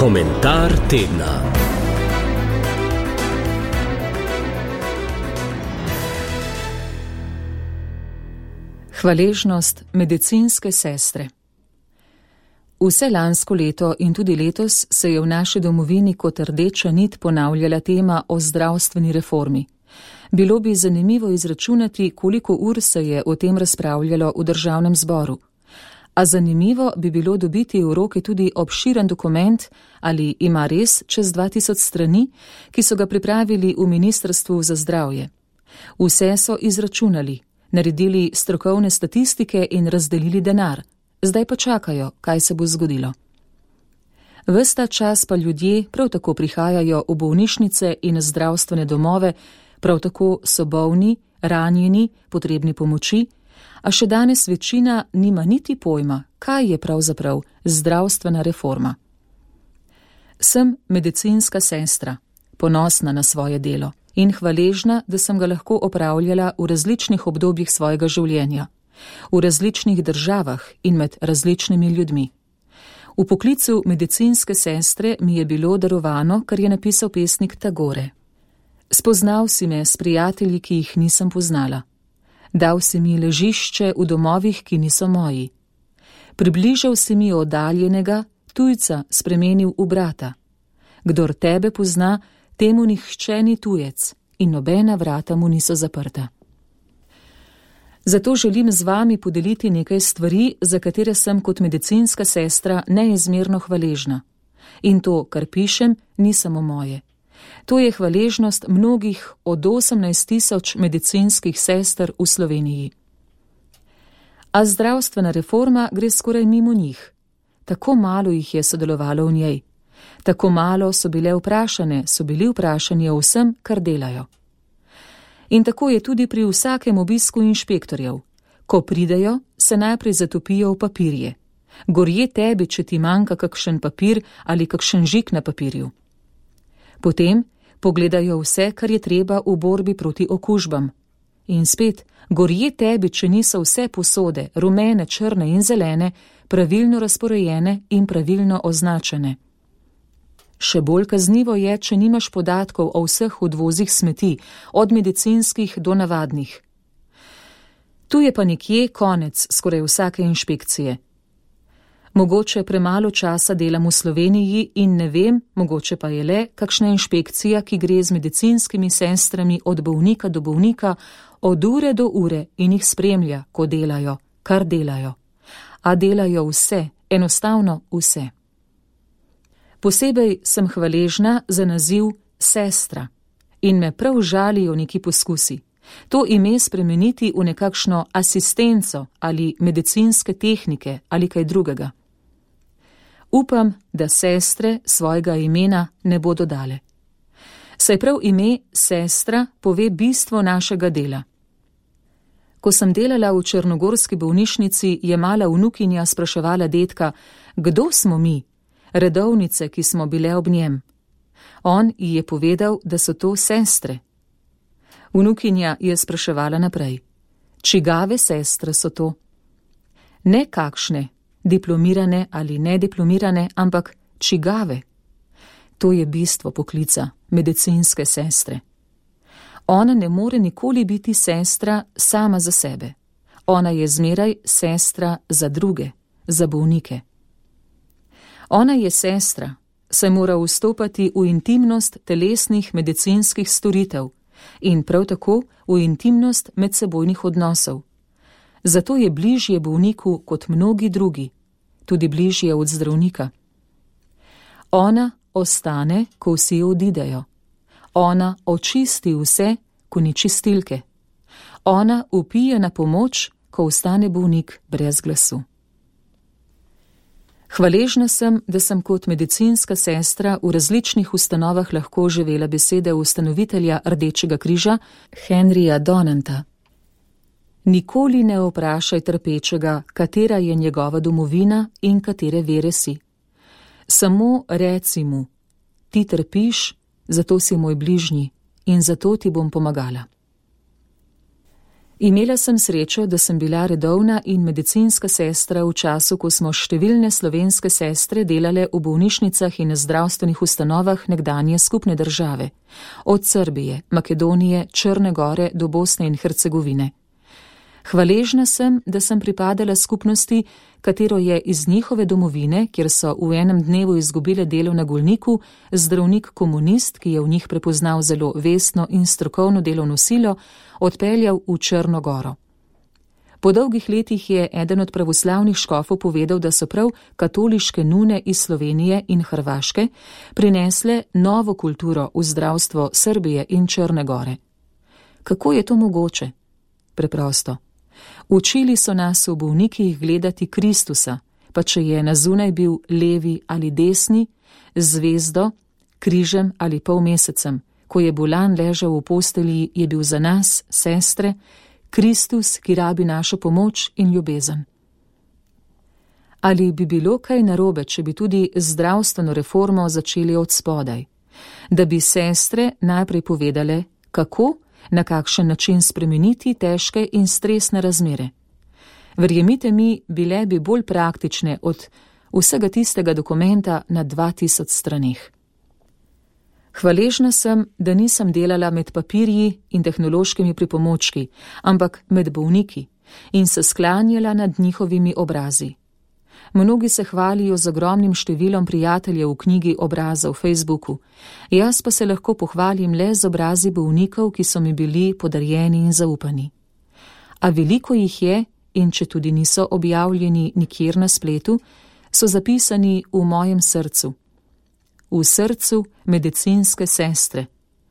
Komentar tedna. Hvaležnost medicinske sestre. Vse lansko leto in tudi letos se je v naši domovini kot rdeča nit ponavljala tema o zdravstveni reformi. Bilo bi zanimivo izračunati, koliko ur se je o tem razpravljalo v državnem zboru. A zanimivo bi bilo dobiti v roke tudi obširen dokument, ali ima res čez 2000 strani, ki so ga pripravili v Ministrstvu za zdravje. Vse so izračunali, naredili strokovne statistike in razdelili denar. Zdaj pa čakajo, kaj se bo zgodilo. Ves ta čas pa ljudje prav tako prihajajo v bolnišnice in zdravstvene domove, prav tako so bolni, ranjeni, potrebni pomoči, a še danes večina nima niti pojma, kaj je pravzaprav zdravstvena reforma. Sem medicinska sestra, ponosna na svoje delo in hvaležna, da sem ga lahko opravljala v različnih obdobjih svojega življenja, v različnih državah in med različnimi ljudmi. V poklicu medicinske sestre mi je bilo darovano, kar je napisal pesnik Tagore. Spoznal si me s prijatelji, ki jih nisem poznala. Dal si mi ležišče v domovih, ki niso moji. Približal si mi oddaljenega, tujca spremenil v brata. Kdor tebe pozna, temu nihče ni tujec in nobena vrata mu niso zaprta. Zato želim z vami podeliti nekaj stvari, za katere sem kot medicinska sestra neizmerno hvaležna. In to, kar pišem, ni samo moje. To je hvaležnost mnogih od 18 000 medicinskih sester v Sloveniji. A zdravstvena reforma gre skoraj mimo njih. Tako malo jih je sodelovalo v njej. Tako malo so bili vprašani o vsem, kar delajo. In tako je tudi pri vsakem obisku inšpektorjev. Ko pridejo, se najprej zatopijo v papirje. Gorje tebi, če ti manjka kakšen papir ali kakšen žig na papirju. Potem pogledajo vse, kar je treba v borbi proti okužbam. In spet, gorje tebi, če niso vse posode, rumene, črne in zelene, pravilno razporejene in pravilno označene. Še bolj kaznivo je, če nimaš podatkov o vseh odvozih smeti, od medicinskih do navadnih. Tu je pa nekje konec skoraj vsake inšpekcije. Mogoče premalo časa delam v Sloveniji in ne vem, mogoče pa je le kakšna inšpekcija, ki gre z medicinskimi sestrami od bolnika do bolnika, od ure do ure in jih spremlja, ko delajo, kar delajo. A delajo vse, enostavno vse. Posebej sem hvaležna za naziv sestra in me prav žalijo neki poskusi. To ime spremeniti v nekakšno asistenco ali medicinske tehnike ali kaj drugega. Upam, da sestre svojega imena ne bodo dale. Saj prav ime sestra pove bistvo našega dela. Ko sem delala v črnogorski bolnišnici, je mala vnukinja spraševala dedka, kdo smo mi, redovnice, ki smo bile ob njem. On ji je povedal, da so to sestre. Vnukinja je spraševala naprej, čigave sestre so to? Ne kakšne, diplomirane ali nediplomirane, ampak čigave. To je bistvo poklica medicinske sestre. Ona ne more nikoli biti sestra sama za sebe. Ona je zmeraj sestra za druge, za bolnike. Ona je sestra, saj mora vstopati v intimnost telesnih medicinskih storitev in prav tako v intimnost medsebojnih odnosov. Zato je bližje bolniku kot mnogi drugi, tudi bližje od zdravnika. Ona ostane, ko vsi odidejo. Ona očisti vse, ko ni čistilke. Ona vpije na pomoč, ko ostane bolnik brez glasu. Hvaležna sem, da sem kot medicinska sestra v različnih ustanovah lahko živela besede ustanovitelja Rdečega križa Henryja Donanta. Nikoli ne vprašaj trpečega, katera je njegova domovina in katere vere si. Samo reci mu, ti trpiš, zato si moj bližnji in zato ti bom pomagala. Imela sem srečo, da sem bila redovna in medicinska sestra v času, ko smo številne slovenske sestre delale v bolnišnicah in zdravstvenih ustanovah nekdanje skupne države, od Srbije, Makedonije, Črne Gore do Bosne in Hercegovine. Hvaležna sem, da sem pripadala skupnosti, katero je iz njihove domovine, kjer so v enem dnevu izgubile delo na Golniku, zdravnik komunist, ki je v njih prepoznal zelo vestno in strokovno delovno silo, odpeljal v Črno Goro. Po dolgih letih je eden od pravoslavnih škofov povedal, da so prav katoliške nune iz Slovenije in Hrvaške prinesle novo kulturo v zdravstvo Srbije in Črne Gore. Kako je to mogoče? Preprosto. Učili so nas v bolnikih gledati Kristusa, pa če je na zunaj bil levi ali desni, zvezdo, križem ali polmesecem. Ko je bolan ležal v postelji, je bil za nas, sestre, Kristus, ki rabi našo pomoč in ljubezen. Ali bi bilo kaj narobe, če bi tudi zdravstveno reformo začeli od spodaj? Da bi sestre najprej povedale, kako, na kakšen način spremeniti težke in stresne razmere. Verjemite mi, bile bi bolj praktične od vsega tistega dokumenta na 2000 straneh. Hvaležna sem, da nisem delala med papirji in tehnološkimi pripomočki, ampak med bolniki in se sklanjala nad njihovimi obrazi. Mnogi se hvalijo z ogromnim številom prijateljev v knjigi obraza v Facebooku, jaz pa se lahko pohvalim le z obrazi bolnikov, ki so mi bili podarjeni in zaupani. A veliko jih je, in če tudi niso objavljeni nikjer na spletu, so zapisani v mojem srcu. V srcu medicinske sestre,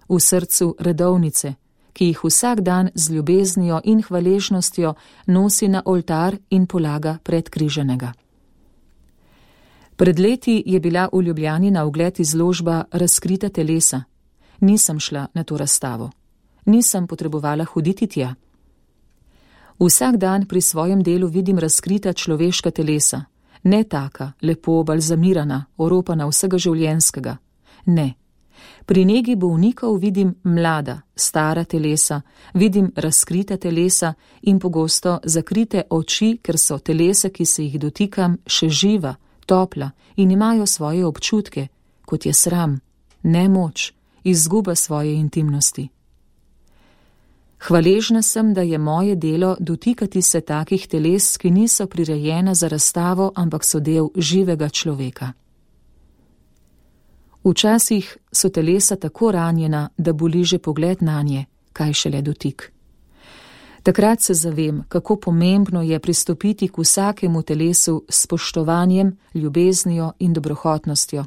v srcu redovnice, ki jih vsak dan z ljubeznijo in hvaležnostjo nosi na oltar in polaga pred križenega. Pred leti je bila v Ljubljani na ogled izložba Razkrita telesa. Nisem šla na to razstavo. Nisem potrebovala hoditi tja. Vsak dan pri svojem delu vidim razkrita človeška telesa. Ne taka, lepo balzamirana, oropana vsega življenjskega. Ne. Pri negi bolnikov vidim mlada, stara telesa, vidim razkrita telesa in pogosto zakrite oči, ker so telesa, ki se jih dotikam, še živa, topla in imajo svoje občutke, kot je sram, nemoč, izguba svoje intimnosti. Hvaležna sem, da je moje delo dotikati se takih teles, ki niso prirejena za razstavo, ampak so del živega človeka. Včasih so telesa tako ranjena, da boli že pogled nanje, kaj šele dotik. Takrat se zavem, kako pomembno je pristopiti k vsakemu telesu s spoštovanjem, ljubeznijo in dobrohotnostjo.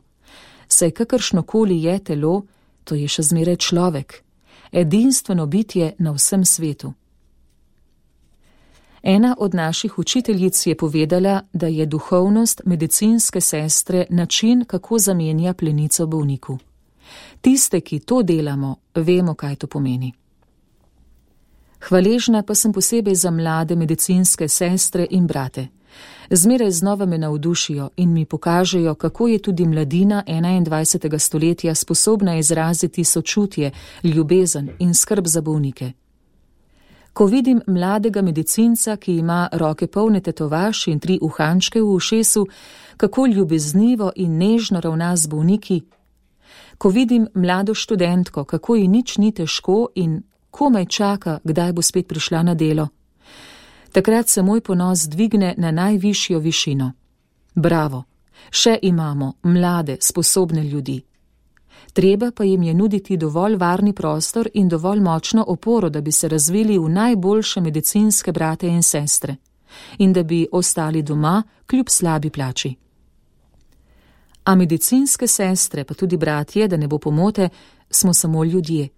Saj kakršnokoli je telo, to je še zmeraj človek, edinstveno bitje na vsem svetu. Ena od naših učiteljic je povedala, da je duhovnost medicinske sestre način, kako zamenja plenico bolniku. Tiste, ki to delamo, vemo, kaj to pomeni. Hvaležna pa sem posebej za mlade medicinske sestre in brate. Zmeraj znova me navdušijo in mi pokažejo, kako je tudi mladina 21. stoletja sposobna izraziti sočutje, ljubezen in skrb za bolnike. Ko vidim mladega medicinca, ki ima roke polne tetovaž in 3 uhančke v ušesu, kako ljubeznivo in nežno ravna z bolniki. Ko vidim mlado študentko, kako ji nič ni težko in komaj čaka, kdaj bo spet prišla na delo. Takrat se moj ponos dvigne na najvišjo višino. Bravo, še imamo mlade, sposobne ljudi. Treba pa jim je nuditi dovolj varni prostor in dovolj močno oporo, da bi se razvili v najboljše medicinske brate in sestre in da bi ostali doma kljub slabi plači. A medicinske sestre, pa tudi bratje, da ne bo pomote, smo samo ljudje.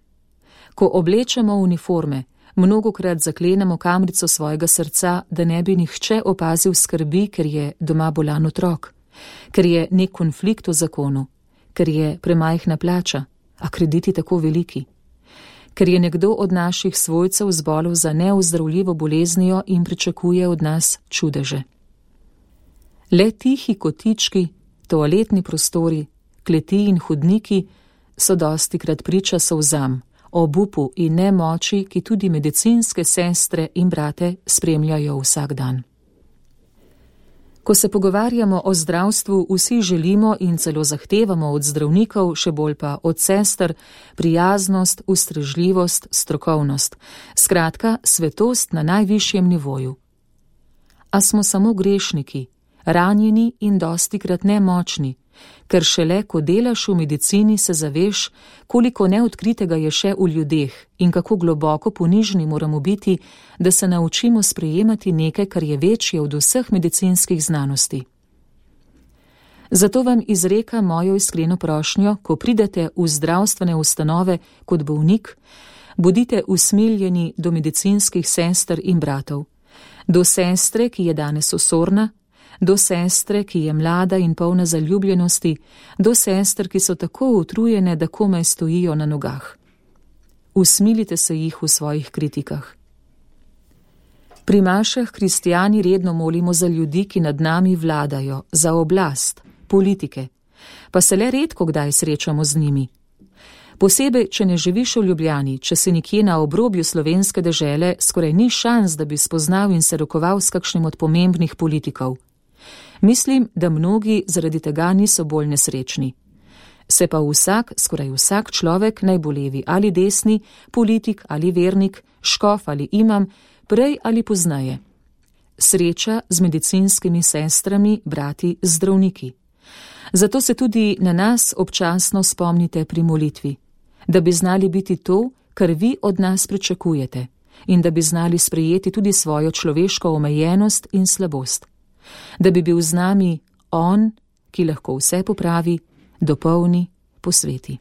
Ko oblečemo uniforme, mnogokrat zaklenemo kamrico svojega srca, da ne bi nihče opazil skrbi, ker je doma bolan otrok, ker je nek konflikt v zakonu, ker je premajhna plača, a krediti tako veliki, ker je nekdo od naših svojcev zbolel za neozdravljivo boleznijo in pričakuje od nas čudeže. Le tihi kotički, toaletni prostori, kleti in hodniki so dostikrat priča solzam, obupu in nemoči, ki tudi medicinske sestre in brate spremljajo vsak dan. Ko se pogovarjamo o zdravstvu, vsi želimo in celo zahtevamo od zdravnikov, še bolj pa od sester, prijaznost, ustrežljivost, strokovnost, skratka, svetost na najvišjem nivoju. A smo samo grešniki, ranjeni in dostikrat nemočni, ker šele, ko delaš v medicini, se zaveš, koliko neodkritega je še v ljudeh in kako globoko ponižni moramo biti, da se naučimo sprejemati nekaj, kar je večje od vseh medicinskih znanosti. Zato vam izrekam mojo iskreno prošnjo, ko pridete v zdravstvene ustanove kot bolnik, bodite usmiljeni do medicinskih sester in bratov, do sestre, ki je danes osorna, do sestre, ki je mlada in polna zaljubljenosti, do sester, ki so tako utrujene, da komaj stojijo na nogah. Usmilite se jih v svojih kritikah. Pri mašah kristijani redno molimo za ljudi, ki nad nami vladajo, za oblast, politike, pa se le redko kdaj srečamo z njimi. Posebej, če ne živiš v Ljubljani, če si nekje na obrobju slovenske dežele, skoraj ni šans, da bi spoznal in se rokoval s kakšnim od pomembnih politikov. Mislim, da mnogi zaradi tega niso bolj nesrečni. Se pa skoraj vsak človek, naj bo levi ali desni, politik ali vernik, škof ali imam, prej ali pozneje sreča z medicinskimi sestrami, brati, zdravniki. Zato se tudi na nas občasno spomnite pri molitvi, da bi znali biti to, kar vi od nas pričakujete, in da bi znali sprejeti tudi svojo človeško omejenost in slabost. Da bi bil z nami on, ki lahko vse popravi, dopolni, posveti.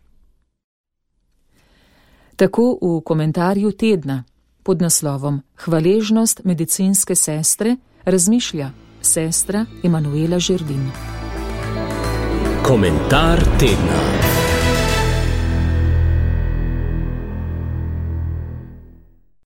Tako v komentarju tedna pod naslovom Hvaležnost medicinske sestre razmišlja sestra Emanuela Žerdin. Komentar tedna.